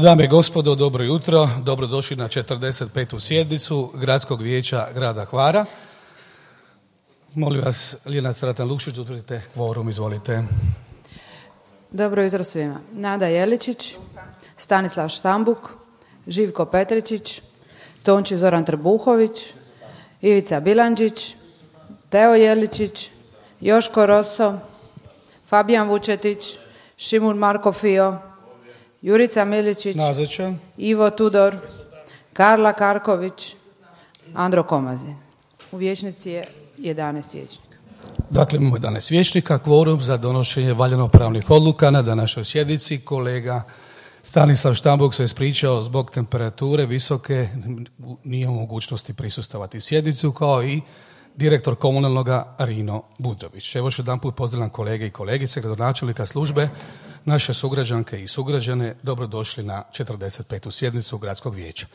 Dame i gospodo, dobro jutro. Dobrodošli na 45. sjednicu Gradskog vijeća grada Hvara. Molim vas, Lijena Stratan-Lukšić, utvrdite kvorum, izvolite. Dobro jutro svima. Nada Jeličić, Stanislav Štambuk, Živko Petričić, Tonči Zoran Trbuhović, Ivica Bilandžić, Teo Jeličić, Joško Roso, Fabijan Vučetić, Šimun Marko Fio, Jurica Miličić, Nazočan. Ivo Tudor, Karla Karković, Andro Komazin. U vijećnici je 11 vijećnika. Dakle, imamo 11 vijećnika, kvorum za donošenje valjano-pravnih odluka na današnjoj sjednici. Kolega Stanislav Štambuk se ispričao zbog temperature visoke, nije u mogućnosti prisustvovati sjednicu, kao i direktor komunalnoga Rino Budrović. Evo još jedan put pozdravljam kolege i kolegice, gradonačelnika službe, naše sugrađanke i sugrađane, dobrodošli na 45. sjednicu Gradskog vijeća.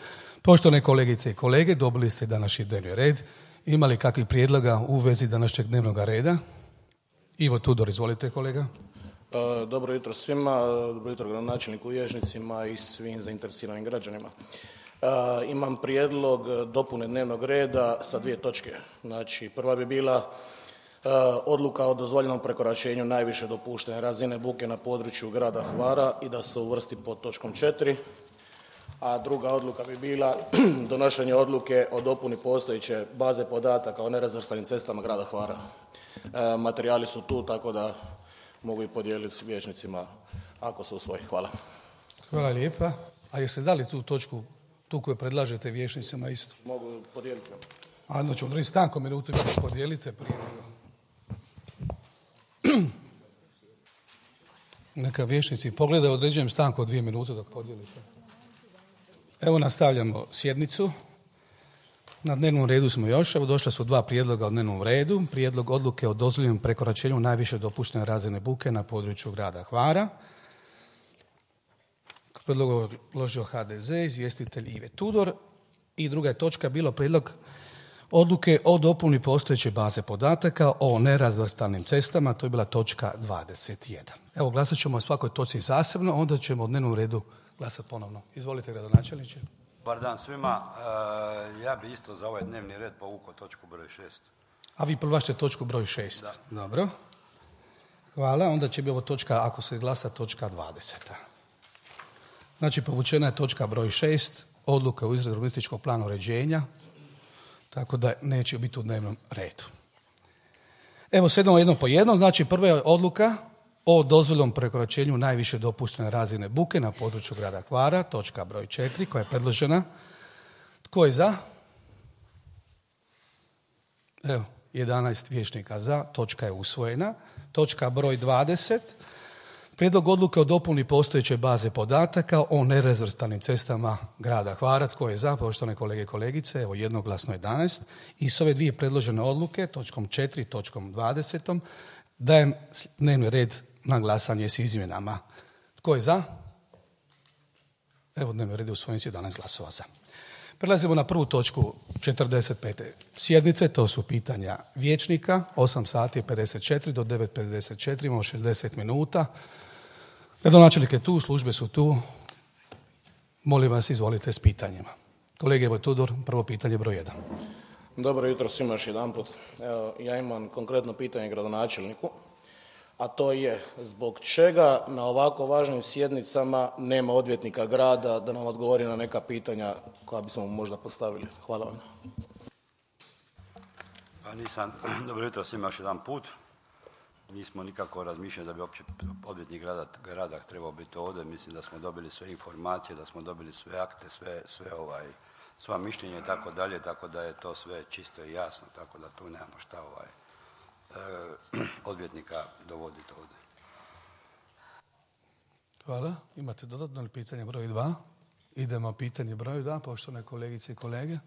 Poštovane kolegice i kolege, dobili ste današnji dnevni red. Ima li kakvih prijedloga u vezi današnjeg dnevnog reda? Ivo Tudor, izvolite kolega. Dobro jutro svima, dobro jutro gradonačelniku, vijećnicima i svim zainteresiranim građanima. Imam prijedlog dopune dnevnog reda sa 2 točke. Znači, prva bi bila odluka o dozvoljenom prekoračenju najviše dopuštene razine buke na području grada Hvara i da se uvrsti pod točkom 4. A druga odluka bi bila donošenje odluke o dopuni postojeće baze podataka o nerazvrstanim cestama grada Hvara. Materijali su tu, tako da mogu i podijeliti s vijećnicima ako se usvoji. Hvala. Hvala lijepa. A jeste dali tu točku, tu koju predlažete vijećnicima isto? Mogu podijeliti. A znači odrediti stanku minutu i da podijelite prije nego. Neka vijećnici pogledaju, određujem stanku od 2 minute dok podijelite. Evo nastavljamo sjednicu. Na dnevnom redu smo još. Evo došla su 2 prijedloga o dnevnom redu. Prijedlog odluke o dozvoljenom prekoračenju najviše dopuštene razine buke na području grada Hvara. Prijedlog uložio HDZ, izvjestitelj Ive Tudor. I druga je točka bilo prijedlog odluke o dopuni postojeće baze podataka o nerazvrstanim cestama. To je bila točka 21. Evo glasat ćemo o svakoj točci zasebno, onda ćemo o dnevnom redu glasati ponovno. Izvolite, gradonačelniče. Dobar dan svima. Ja bi isto za ovaj dnevni red povukao točku broj 6. A vi prvašte točku broj 6. Da. Dobro. Hvala. Onda će biti ovo točka, ako se glasa, točka 20. Znači, povučena je točka broj 6, odluka o izradi urbanističkog plana uređenja, tako da neće biti u dnevnom redu. Evo, sedamo jedno po jedno. Znači, prva je odluka o dozvoljenom prekoračenju najviše dopuštene razine buke na području grada Hvara, točka broj 4, koja je predložena. Tko je za? Evo, 11 vijećnika za, točka je usvojena. Točka broj 20, prijedlog odluke o dopuni postojeće baze podataka o nerazvrstanim cestama grada Hvara. Tko je za, poštovane kolege i kolegice? Evo, jednoglasno 11. I s ove 2 predložene odluke, točkom 4 i točkom 20, dajem dnevni red na glasanje s izmjenama. Tko je za? Evo, dnevni red je usvojen s 11 glasova za. Prelazimo na prvu točku 45. sjednice, to su pitanja vijećnika, 8 sati i 54 do 9:54, imamo 60 minuta. Gradonačelnik je tu, službe su tu. Molim vas, izvolite s pitanjima. Kolege Ivo Tudor, prvo pitanje broj 1. Dobro jutro svima još jedanput. Evo, ja imam konkretno pitanje gradonačelniku, a to je zbog čega na ovako važnim sjednicama nema odvjetnika grada da nam odgovori na neka pitanja koja bismo mu možda postavili. Hvala vam. Dobro jutro svima još jedan put. Nismo nikako razmišljali da bi uopće odvjetnik grada trebao biti ovdje. Mislim da smo dobili sve informacije, da smo dobili sve akte, sva mišljenja i tako dalje, tako da je to sve čisto i jasno, tako da tu nemamo šta odvjetnika dovoditi ovdje. Hvala. Imate dodatno pitanje broj 2? Idemo pitanje broj 2, poštovane kolegice i kolege.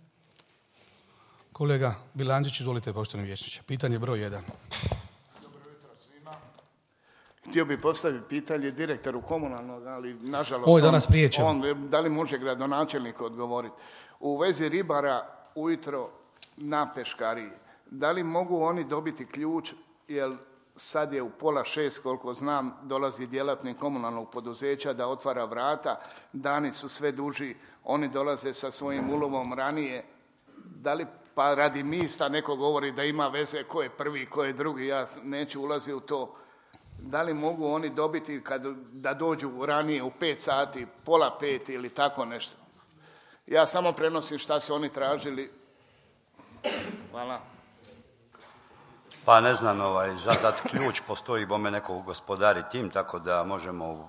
Kolega Bilandžić, izvolite, poštovani vijećniče. Pitanje broj 1. Dobro jutro svima. Htio bih postaviti pitanje direktoru komunalnog, ali nažalost... Ovo je danas priječeno. Da li može gradonačelnik odgovoriti? U vezi ribara ujutro na peškariji, da li mogu oni dobiti ključ, jer sad je u 5:30, koliko znam, dolazi djelatnik komunalnog poduzeća da otvara vrata, dani su sve duži, oni dolaze sa svojim ulovom ranije. Da li pa radi mista neko govori da ima veze ko je prvi, ko je drugi, ja neću ulaziti u to. Da li mogu oni dobiti da dođu ranije u 5 sati, 4:30 ili tako nešto? Ja samo prenosim šta su oni tražili. Hvala. Pa ne znam, zadat ključ, postoji bome neko gospodari tim, tako da možemo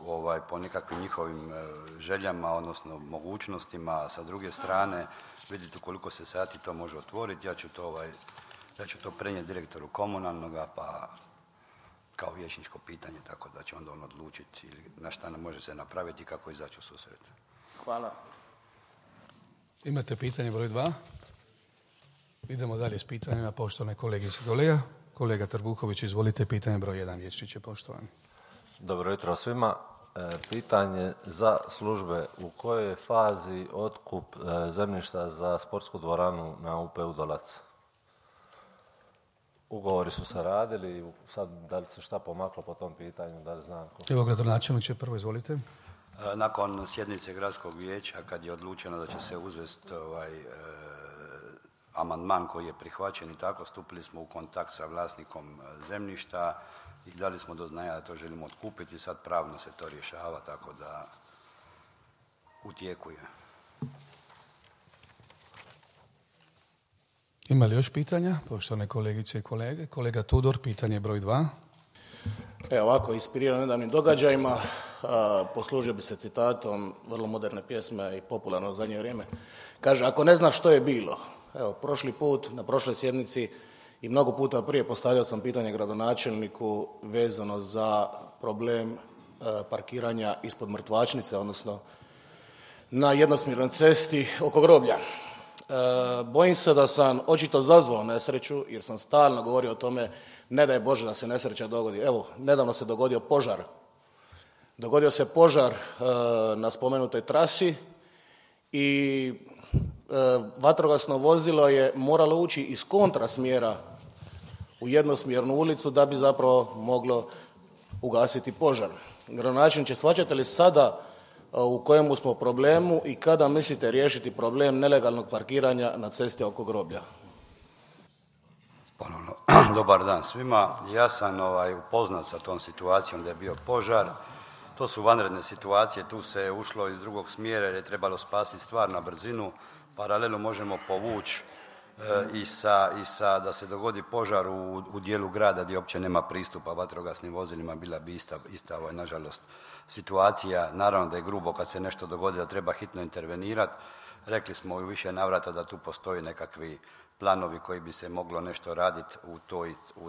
po nekakvim njihovim željama, odnosno mogućnostima sa druge strane vidjeti koliko se sati to može otvoriti. Ja ću to prenijeti direktoru komunalnoga, pa kao vijećničko pitanje, tako da će onda on odlučiti na šta nam može se napraviti i kako izaći u susret. Hvala. Imate pitanje broj 2? Idemo dalje s pitanjima, poštovane kolegice i kolega. Kolega Trbuković, izvolite, pitanje broj 1, vijećniče, poštovani. Dobro jutro svima. Pitanje za službe. U kojoj je fazi otkup zemljišta za sportsku dvoranu na UP-u Dolac? Ugovori su se radili, sad da li se šta pomaklo po tom pitanju, da li znam ko? Evo, gradonačelniče, prvo izvolite. Nakon sjednice gradskog vijeća, kad je odlučeno da će se uzeti amandman koji je prihvaćen i tako, stupili smo u kontakt sa vlasnikom zemljišta i dali smo do znanja da to želimo otkupiti. Sad pravno se to rješava, tako da u tijeku je. Ima li još pitanja, poštovane kolegice i kolege? Kolega Tudor, pitanje broj 2. Evo ovako, inspiriran nedavnim događajima, poslužio bi se citatom vrlo moderne pjesme i popularno u zadnje vrijeme. Kaže, ako ne znaš što je bilo, evo, prošli put, na prošloj sjednici i mnogo puta prije postavljao sam pitanje gradonačelniku vezano za problem parkiranja ispod mrtvačnice, odnosno na jednosmjernoj cesti oko groblja. Bojim se da sam očito zazvao nesreću, jer sam stalno govorio o tome, ne daj Bože da se nesreća dogodi. Evo, nedavno se dogodio požar. Dogodio se požar na spomenutoj trasi i vatrogasno vozilo je moralo ući iz kontrasmjera u jednosmjernu ulicu da bi zapravo moglo ugasiti požar. Gradonačelniče, shvaćate li sada u kojemu smo problemu i kada mislite riješiti problem nelegalnog parkiranja na cesti oko groblja? Ponovno, dobar dan svima. Ja sam upoznat sa tom situacijom da je bio požar. To su vanredne situacije, tu se ušlo iz drugog smjera jer je trebalo spasiti stvar na brzinu. Paralelu možemo povući i sa da se dogodi požar u dijelu grada gdje uopće nema pristupa vatrogasnim vozilima, bila bi ista nažalost situacija. Naravno da je grubo kad se nešto dogodi da treba hitno intervenirati. Rekli smo u više navrata da tu postoji nekakvi planovi koji bi se moglo nešto raditi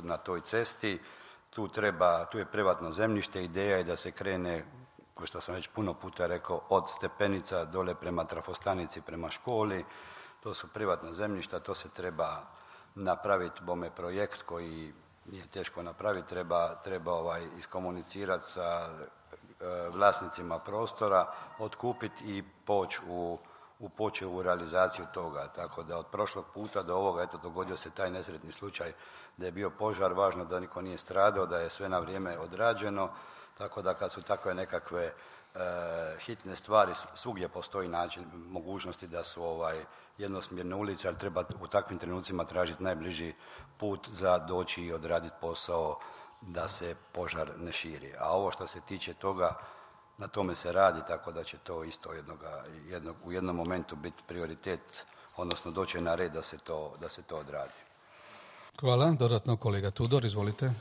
na toj cesti. Tu je privatno zemljište, ideja je da se krene, kao što sam već puno puta rekao, od stepenica dole prema trafostanici, prema školi. To su privatna zemljišta, to se treba napraviti bome projekt koji nije teško napraviti, treba iskomunicirati sa vlasnicima prostora, otkupiti i poći u realizaciju toga. Tako da od prošlog puta do ovoga, dogodio se taj nesretni slučaj da je bio požar, važno da niko nije stradao, da je sve na vrijeme odrađeno, tako da kad su takve nekakve hitne stvari, svugdje postoji način, mogućnosti da su jednosmjerne ulice, ali treba u takvim trenucima tražiti najbliži put za doći i odraditi posao da se požar ne širi. A ovo što se tiče toga, na tome se radi, tako da će to isto u jednom momentu biti prioritet, odnosno doći na red da se to odradi. Hvala. Dodatno kolega Tudor, izvolite.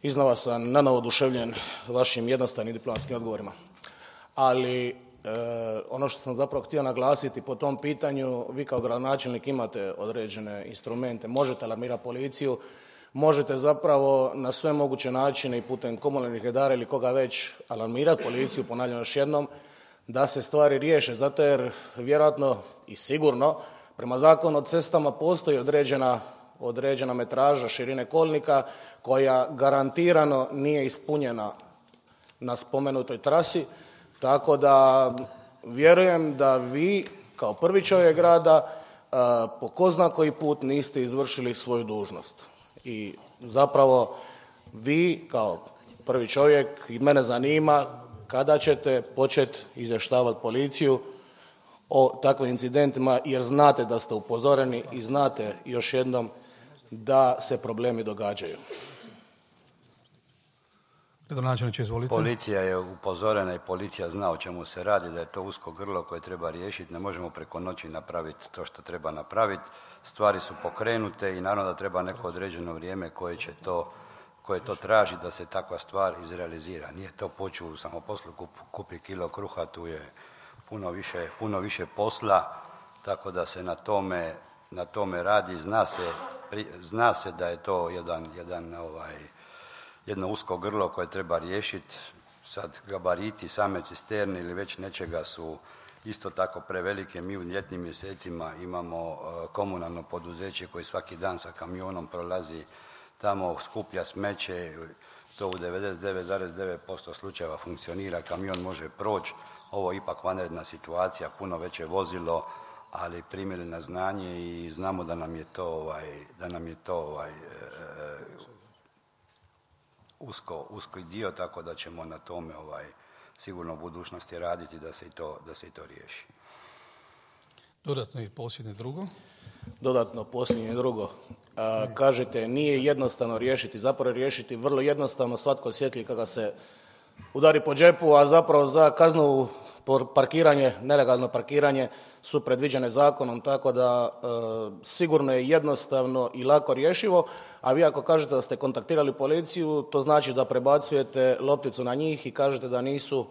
Iznova sam nanovo oduševljen vašim jednostavnim diplomatskim odgovorima. Ali ono što sam zapravo htio naglasiti po tom pitanju, vi kao gradonačelnik imate određene instrumente, možete alarmirati policiju, možete zapravo na sve moguće načine i putem komunalnih redara ili koga već alarmirati policiju, ponavljam još jednom, da se stvari riješe, zato jer vjerojatno i sigurno prema Zakonu o cestama postoji određena metraža širine kolnika koja garantirano nije ispunjena na spomenutoj trasi, tako da vjerujem da vi kao prvi čovjek grada po ko zna koji put niste izvršili svoju dužnost. I zapravo Vi kao prvi čovjek i mene zanima kada ćete početi izvještavati policiju o takvim incidentima jer znate da ste upozoreni i znate još jednom da se problemi događaju. Gradonačelniče, izvolite. Policija je upozorena i policija zna o čemu se radi, da je to usko grlo koje treba riješiti. Ne možemo preko noći napraviti to što treba napraviti. Stvari su pokrenute i naravno da treba neko određeno vrijeme koje to traži da se takva stvar izrealizira. Nije to poču u samoposlu kupi kilo kruha, tu je puno više posla, tako da se na tome radi. Zna se da je to jedno usko grlo koje treba riješiti. Sad gabariti same cisterne ili već nečega su isto tako prevelike. Mi u ljetnim mjesecima imamo komunalno poduzeće koje svaki dan sa kamionom prolazi tamo, skuplja smeće, to u 99,9% slučajeva funkcionira, kamion može proći. Ovo je ipak vanredna situacija, puno veće vozilo, ali primili na znanje i znamo da nam je to uski dio, tako da ćemo na tome sigurno u budućnosti raditi da se i to riješi. Dodatno i posljednje drugo. Dodatno posljednje drugo. Kažete nije jednostavno riješiti, zapravo riješiti vrlo jednostavno, svatko osjeti kada se udari po džepu, a zapravo za kaznu parkiranje, nelegalno parkiranje su predviđene zakonom, tako da sigurno je jednostavno i lako rješivo, a vi ako kažete da ste kontaktirali policiju, to znači da prebacujete lopticu na njih i kažete da nisu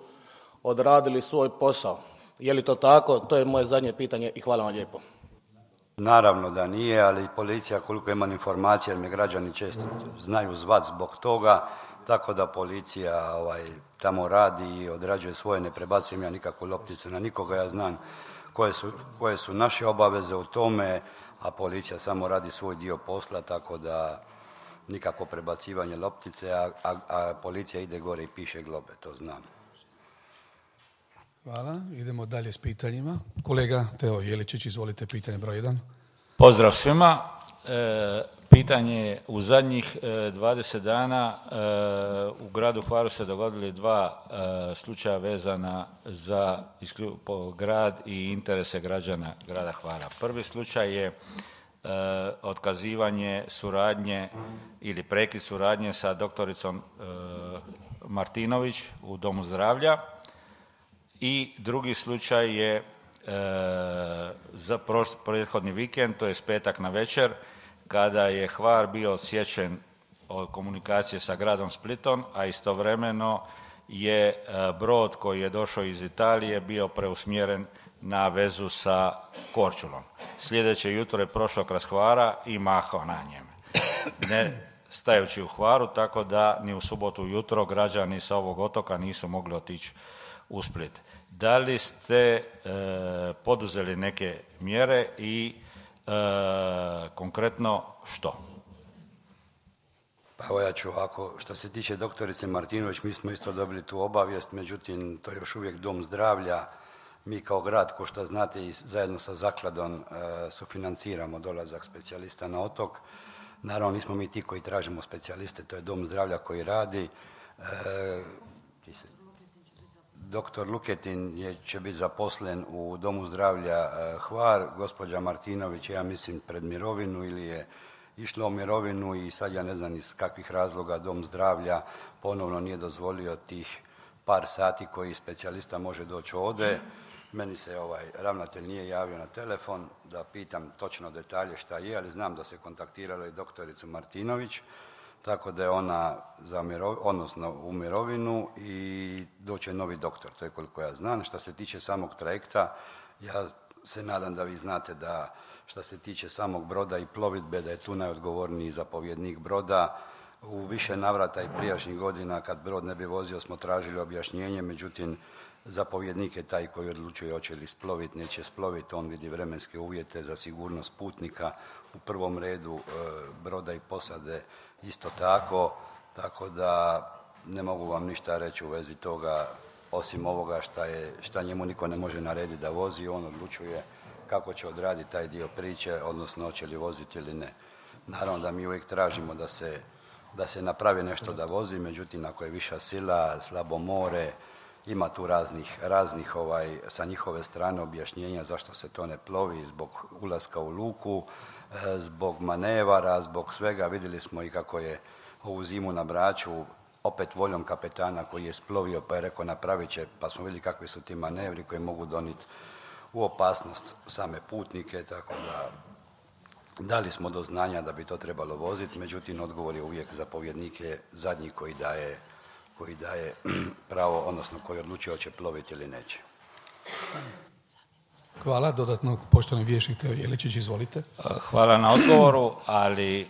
odradili svoj posao. Je li to tako? To je moje zadnje pitanje i hvala vam lijepo. Naravno da nije, ali policija, koliko imam informacije, jer me građani često znaju zvat zbog toga, tako da policija tamo radi i odrađuje svoje, ne prebacujem ja nikakvu lopticu na nikoga, ja znam koje su naše obaveze u tome, a policija samo radi svoj dio posla, tako da nikakvo prebacivanje loptice, a policija ide gore i piše globe, to znam. Hvala. Idemo dalje s pitanjima. Kolega Teo Jeličić, izvolite, pitanje broj 1. Pozdrav svima. Pitanje je, u zadnjih 20 dana u gradu Hvaru se dogodili 2 slučaja vezana za grad i interese građana grada Hvara. Prvi slučaj je otkazivanje suradnje ili prekid suradnje sa doktoricom Martinović u Domu zdravlja. I drugi slučaj je za prethodni vikend, to je petak na večer, kada je Hvar bio odsječen od komunikacije sa gradom Splitom, a istovremeno je brod koji je došao iz Italije bio preusmjeren na vezu sa Korčulom. Sljedeće jutro je prošao kroz Hvara i mahao na njem, ne stajući u Hvaru, tako da ni u subotu jutro građani sa ovog otoka nisu mogli otići u Split. Da li ste poduzeli neke mjere i konkretno što? Pa evo ja ću ovako, što se tiče doktorice Martinović, mi smo isto dobili tu obavijest, međutim to je još uvijek dom zdravlja. Mi kao grad, ko što znate, i zajedno sa zakladom sufinanciramo dolazak specijalista na otok. Naravno nismo mi ti koji tražimo specijaliste, to je dom zdravlja koji radi. Doktor Luketin će biti zaposlen u Domu zdravlja Hvar, gospođa Martinović je, ja mislim, pred mirovinu ili je išla u mirovinu i sad ja ne znam iz kakvih razloga Dom zdravlja ponovno nije dozvolio tih par sati koji specijalista može doći ovdje. Meni se ravnatelj nije javio na telefon da pitam točno detalje šta je, ali znam da se kontaktiralo i doktoricu Martinović, tako da je ona u mirovinu i doće novi doktor, to je koliko ja znam. Što se tiče samog trajekta, ja se nadam da vi znate da što se tiče samog broda i plovidbe, da je tu najodgovorniji zapovjednik broda. U više navrata i prijašnjih godina kad brod ne bi vozio smo tražili objašnjenje, međutim zapovjednik je taj koji odlučuje hoće li sploviti, neće sploviti, on vidi vremenske uvjete za sigurnost putnika, u prvom redu broda i posade isto tako da ne mogu vam ništa reći u vezi toga, osim ovoga šta njemu niko ne može narediti da vozi, on odlučuje kako će odraditi taj dio priče, odnosno hoće li voziti ili ne. Naravno da mi uvijek tražimo da se da se napravi nešto da vozi, međutim ako je viša sila, slabo more, ima tu raznih sa njihove strane objašnjenja zašto se to ne plovi, zbog ulaska u luku, zbog manevara, zbog svega. Vidjeli smo i kako je ovu zimu na Braču, opet voljom kapetana koji je splovio pa je rekao napravit će, pa smo vidjeli kakvi su ti manevri koji mogu donijeti u opasnost same putnike, tako da dali smo do znanja da bi to trebalo voziti, međutim odgovor je uvijek zapovjednik je zadnji koji daje pravo, odnosno koji odlučuje hoće ploviti ili neće. Hvala. Dodatno, poštovani vijećnik Teo Jeličić, izvolite. Hvala na odgovoru, ali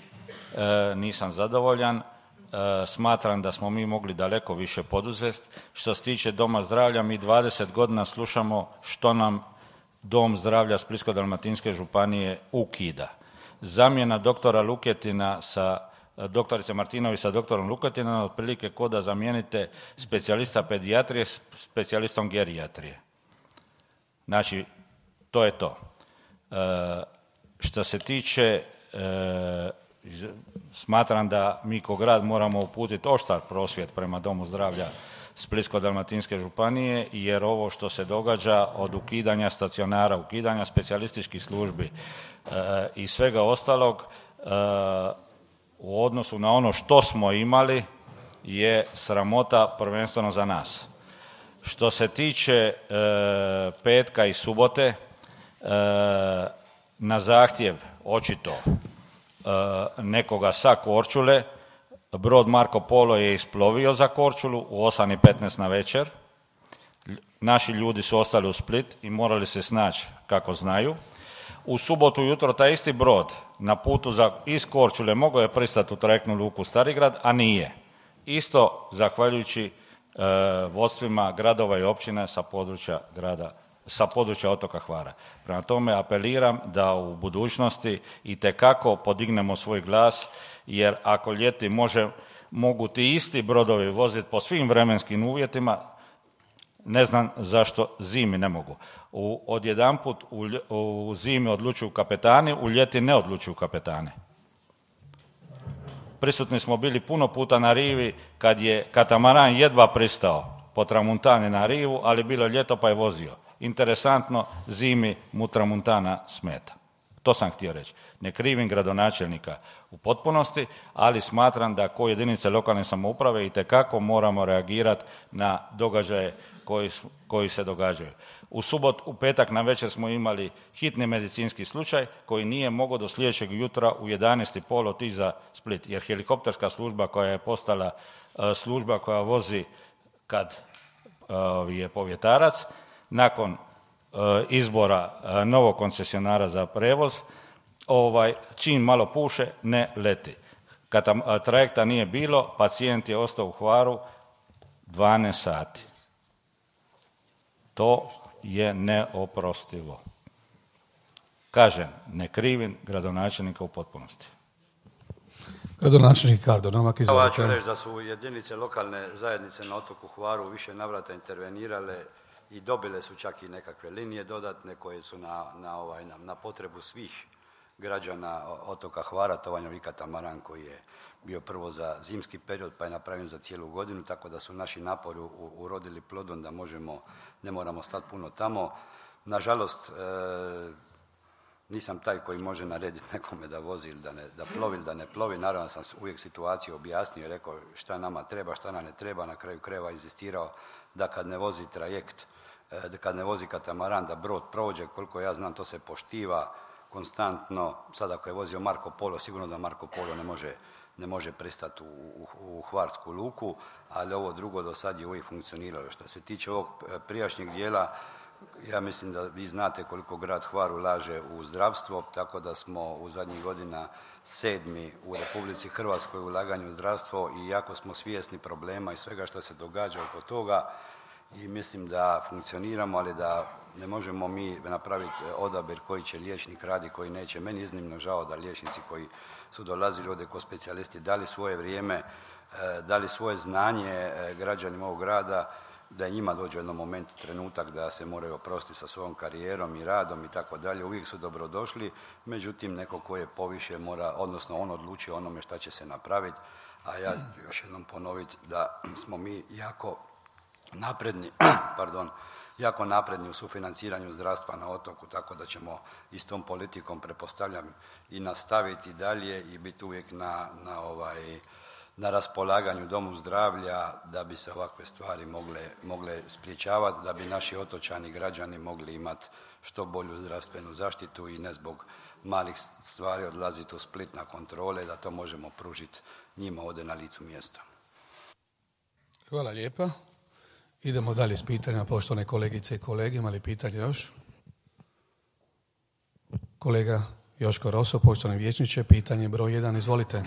nisam zadovoljan. Smatram da smo mi mogli daleko više poduzeti. Što se tiče Doma zdravlja, mi 20 godina slušamo što nam Dom zdravlja Splitsko-dalmatinske županije ukida. Zamjena doktora Luketina doktorice Martinović sa doktorom Luketinom otprilike ko da zamijenite specijalista pedijatrije s specijalistom gerijatrije. Znači, to je to. Što se tiče, smatram da mi kao grad moramo uputiti oštar prosvjed prema Domu zdravlja Splitsko-dalmatinske županije, jer ovo što se događa od ukidanja stacionara, ukidanja specijalističkih službi i svega ostalog u odnosu na ono što smo imali je sramota prvenstveno za nas. Što se tiče petka i subote, na zahtjev očito nekoga sa Korčule, brod Marko Polo je isplovio za Korčulu u 8:15 na večer. Naši ljudi su ostali u Split i morali se snaći kako znaju. U subotu jutro taj isti brod na putu iz Korčule mogao je pristati u trajektnu luku Starigrad, a nije. Isto zahvaljujući vodstvima gradova i općina sa područja otoka Hvara. Prema tome apeliram da u budućnosti itekako podignemo svoj glas, jer ako ljeti mogu ti isti brodovi voziti po svim vremenskim uvjetima, ne znam zašto zimi ne mogu. Odjedanput u zimi odlučuju kapetani, u ljeti ne odlučuju kapetani. Prisutni smo bili puno puta na rivi kad je katamaran jedva pristao po tramuntani na rivu, ali bilo je ljeto pa je vozio. Interesantno, zimi mu tramuntana smeta. To sam htio reći. Ne krivim gradonačelnika u potpunosti, ali smatram da ko jedinice lokalne samouprave itekako moramo reagirati na događaje koji se događaju. U petak na večer smo imali hitni medicinski slučaj koji nije mogao do sljedećeg jutra u 11:30 otići za Split, jer helikopterska služba koja je postala služba koja vozi kad je povjetarac, nakon izbora novog koncesionara za prevoz, čim malo puše, ne leti. Kad trajekta nije bilo, pacijent je ostao u Hvaru 12 sati. To je neoprostivo. Kažem, ne krivim gradonačelnika u potpunosti. Gradonačelnik Kardo Novak, izvolite. Ja ću reći da su jedinice lokalne zajednice na otoku Hvaru više navrata intervenirale i dobile su čak i nekakve linije dodatne koje su na potrebu svih građana otoka Hvara. To vam je katamaran koji je bio prvo za zimski period pa je napravljen za cijelu godinu, tako da su naši napori urodili plodom da ne moramo stati puno tamo. Nažalost, nisam taj koji može narediti nekome da vozi ili da plovi ili da ne plovi. Naravno sam uvijek situaciju objasnio i rekao šta nama treba, šta nam ne treba. Na kraju krajeva inzistirao da kad ne vozi trajekt, kad ne vozi katamaran, da brod prođe. Koliko ja znam, to se poštiva konstantno. Sad ako je vozio Marko Polo, sigurno da Marko Polo ne može pristati u hvarsku luku, ali ovo drugo do sad je uvijek funkcioniralo. Što se tiče ovog prijašnjeg dijela, ja mislim da vi znate koliko grad Hvar ulaže u zdravstvo, tako da smo u zadnjih godina 7. u Republici Hrvatskoj u ulaganju u zdravstvo i jako smo svjesni problema i svega što se događa oko toga i mislim da funkcioniramo, ali da ne možemo mi napraviti odabir koji će liječnik radi, koji neće. Meni je iznimno žao da liječnici koji su dolazili ovdje kao specijalisti dali svoje vrijeme, dali svoje znanje građanima ovog grada, da njima dođe u jednom momentu trenutak da se moraju oprostiti sa svojom karijerom i radom i tako dalje. Uvijek su dobrodošli, međutim neko ko je poviše mora, odnosno on odlučuje onome šta će se napraviti, a ja ću još jednom ponoviti da smo mi jako napredni, jako napredni u sufinanciranju zdravstva na otoku, tako da ćemo i s tom politikom, pretpostavljam, i nastaviti dalje i biti uvijek na raspolaganju domu zdravlja da bi se ovakve stvari mogle spriječavati, da bi naši otočani, građani mogli imati što bolju zdravstvenu zaštitu i ne zbog malih stvari odlaziti u Split na kontrole, da to možemo pružiti njima ovdje na licu mjesta. Hvala lijepa. Idemo dalje s pitanjima, poštovane kolegice i kolege. Ima li pitanje još? Kolega Joško Roso, poštovani vijećniče, pitanje broj 1, izvolite.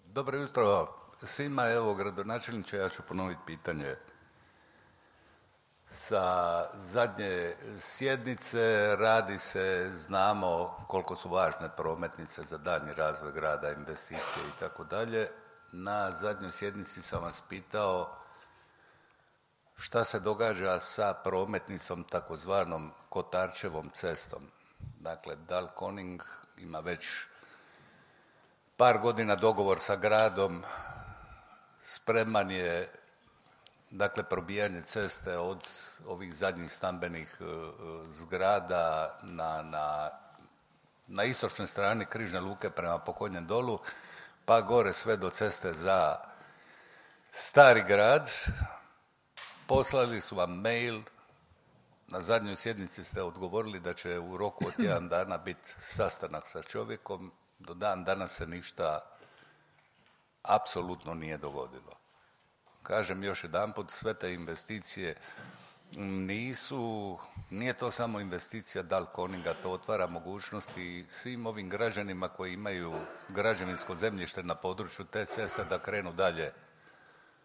Dobro jutro svima, evo gradonačelniče, ja ću ponoviti pitanje. Sa zadnje sjednice radi se, znamo koliko su važne prometnice za daljnji razvoj grada, investicije i tako dalje. Na zadnjoj sjednici sam vas pitao šta se događa sa prometnicom takozvanom Kotarčevom cestom. Dakle, Dalkoning ima već par godina dogovor sa gradom, spreman je dakle probijanje ceste od ovih zadnjih stambenih zgrada na istočnoj strani Križne luke prema Pokonjem dolu, pa gore sve do ceste za Stari grad. Poslali su vam mail, na zadnjoj sjednici ste odgovorili da će u roku od 1 dana biti sastanak sa čovjekom, do dan danas se ništa apsolutno nije dogodilo. Kažem još jedanput, sve te investicije nije to samo investicija Dalkoninga, to otvara mogućnosti svim ovim građanima koji imaju građevinsko zemljište na području te ceste da krenu dalje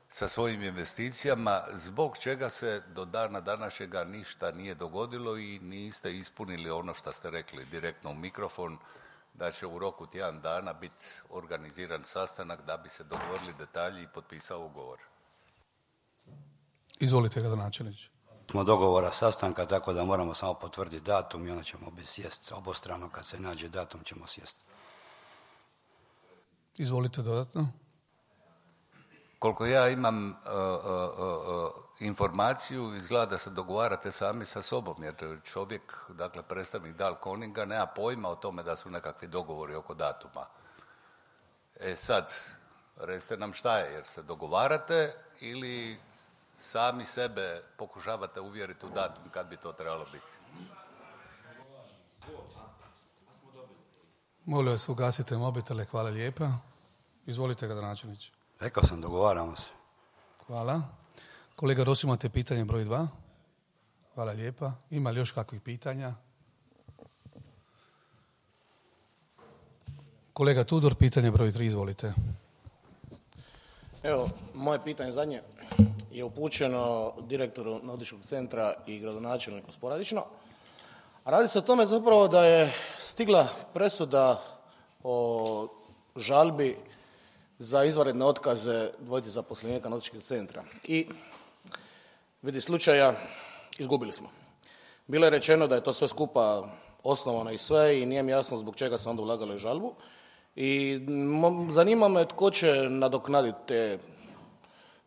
sa svojim investicijama, zbog čega se do dana današnjega ništa nije dogodilo i niste ispunili ono što ste rekli direktno u mikrofon, da će u roku 1 dana biti organiziran sastanak da bi se dogovorili detalji i potpisao ugovor. Izvolite, gradonačelniče. Smo dogovora sastanka, tako da moramo samo potvrditi datum i onda ćemo sjesti obostrano. Kad se nađe datum ćemo sjesti. Izvolite dodatno. Koliko ja imam informaciju, izgleda da se dogovarate sami sa sobom, jer čovjek, dakle predstavnik Dalkoninga, nema pojma o tome da su nekakvi dogovori oko datuma. Sad, recite nam šta je, jer se dogovarate ili sami sebe pokušavate uvjeriti u datum kad bi to trebalo biti? Molim vas, ugasite mobitele, hvala lijepa. Izvolite, gradonačelniče. Rekao sam, dogovaramo se. Hvala. Kolega Rosi, imate pitanje broj 2. Hvala lijepa. Ima li još kakvih pitanja? Kolega Tudor, pitanje broj 3, izvolite. Evo, moje pitanje zadnje je upućeno direktoru Nautičkog centra i gradonačelniku sporadično. Radi se o tome zapravo da je stigla presuda o žalbi za izvanredne otkaze dvojice zaposlenika Nautičkog centra. I vidi slučaja, izgubili smo. Bilo je rečeno da je to sve skupa osnovano i sve i nije mi jasno zbog čega se onda ulagalo u žalbu. I zanima me tko će nadoknaditi te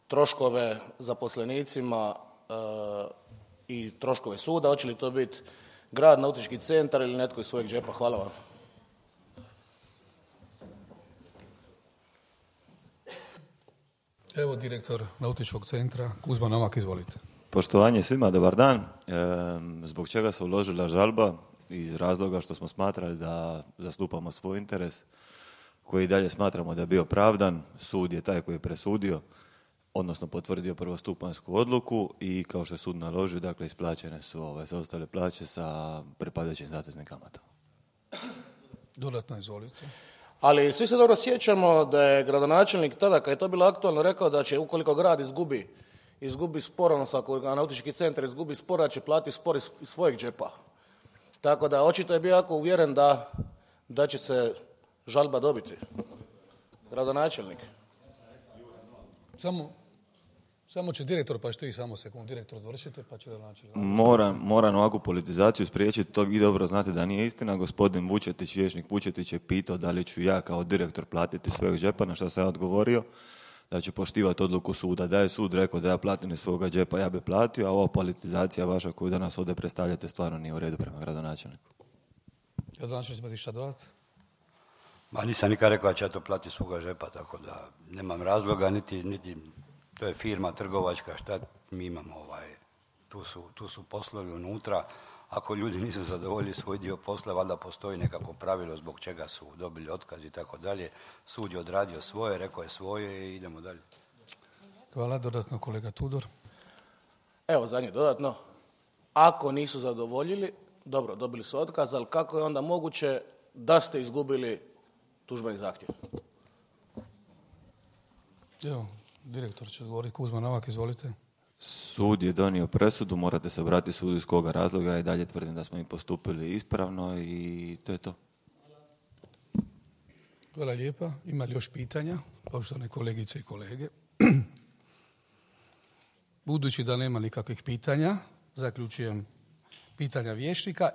troškove zaposlenicima i troškove suda. Hoće li to biti grad, Nautički centar ili netko iz svojeg džepa? Hvala vam. Evo direktor Nautičkog centra, Kuzma Novak, izvolite. Poštovanje svima, dobar dan. Zbog čega se uložila žalba? Iz razloga što smo smatrali da zastupamo svoj interes, koji i dalje smatramo da je bio pravdan. Sud je taj koji je presudio, odnosno potvrdio prvostupanjsku odluku i kao što je sud naložio, dakle isplaćene su zaostale plaće sa pripadajućim zateznim kamatama. Dodatno, izvolite. Ali svi se dobro sjećamo da je gradonačelnik tada, kad je to bilo aktualno, rekao da će ukoliko grad izgubi spor, odnosno ako Nautički centar izgubi spor, da će platiti spor iz svojeg džepa. Tako da očito je bio jako uvjeren da će se žalba dobiti. Gradonačelnik. Samo će direktor, pa što i samo sekund, direktor dovršite, pa će gradonačelnik. Moram ovakvu politizaciju spriječiti, to vi dobro znate da nije istina. Gospodin Vučetić, vijećnik Vučetić je pitao da li ću ja kao direktor platiti svojeg džepa, na što sam ja odgovorio da ću poštivati odluku suda. Da je sud rekao da ja platim iz svoga džepa, ja bi platio, a ova politizacija vaša koju danas ovdje predstavljate stvarno nije u redu prema gradonačelniku. Gradonačelnik, imate šta dodati? Ma nisam nikad rekao da ću ja to platiti iz svoga džepa, tako da nemam razloga, niti to je firma trgovačka, šta mi imamo, tu su poslovi unutra. Ako ljudi nisu zadovoljili svoj dio posla, valjda postoji nekako pravilo zbog čega su dobili otkaz i tako dalje. Sud je odradio svoje, rekao je svoje i idemo dalje. Hvala, dodatno kolega Tudor. Evo zadnje dodatno. Ako nisu zadovoljili, dobro, dobili su otkaz, ali kako je onda moguće da ste izgubili tužbeni zahtjev? Evo, direktor će odgovoriti. Kuzma Novak, izvolite. Sud je donio presudu, morate se obratiti sudu iz koga razloga i dalje tvrdim da smo im postupili ispravno i to je to. Hvala lijepa. Ima li još pitanja, poštovane kolegice i kolege? Budući da nema nikakvih pitanja, zaključujem pitanja vijećnika.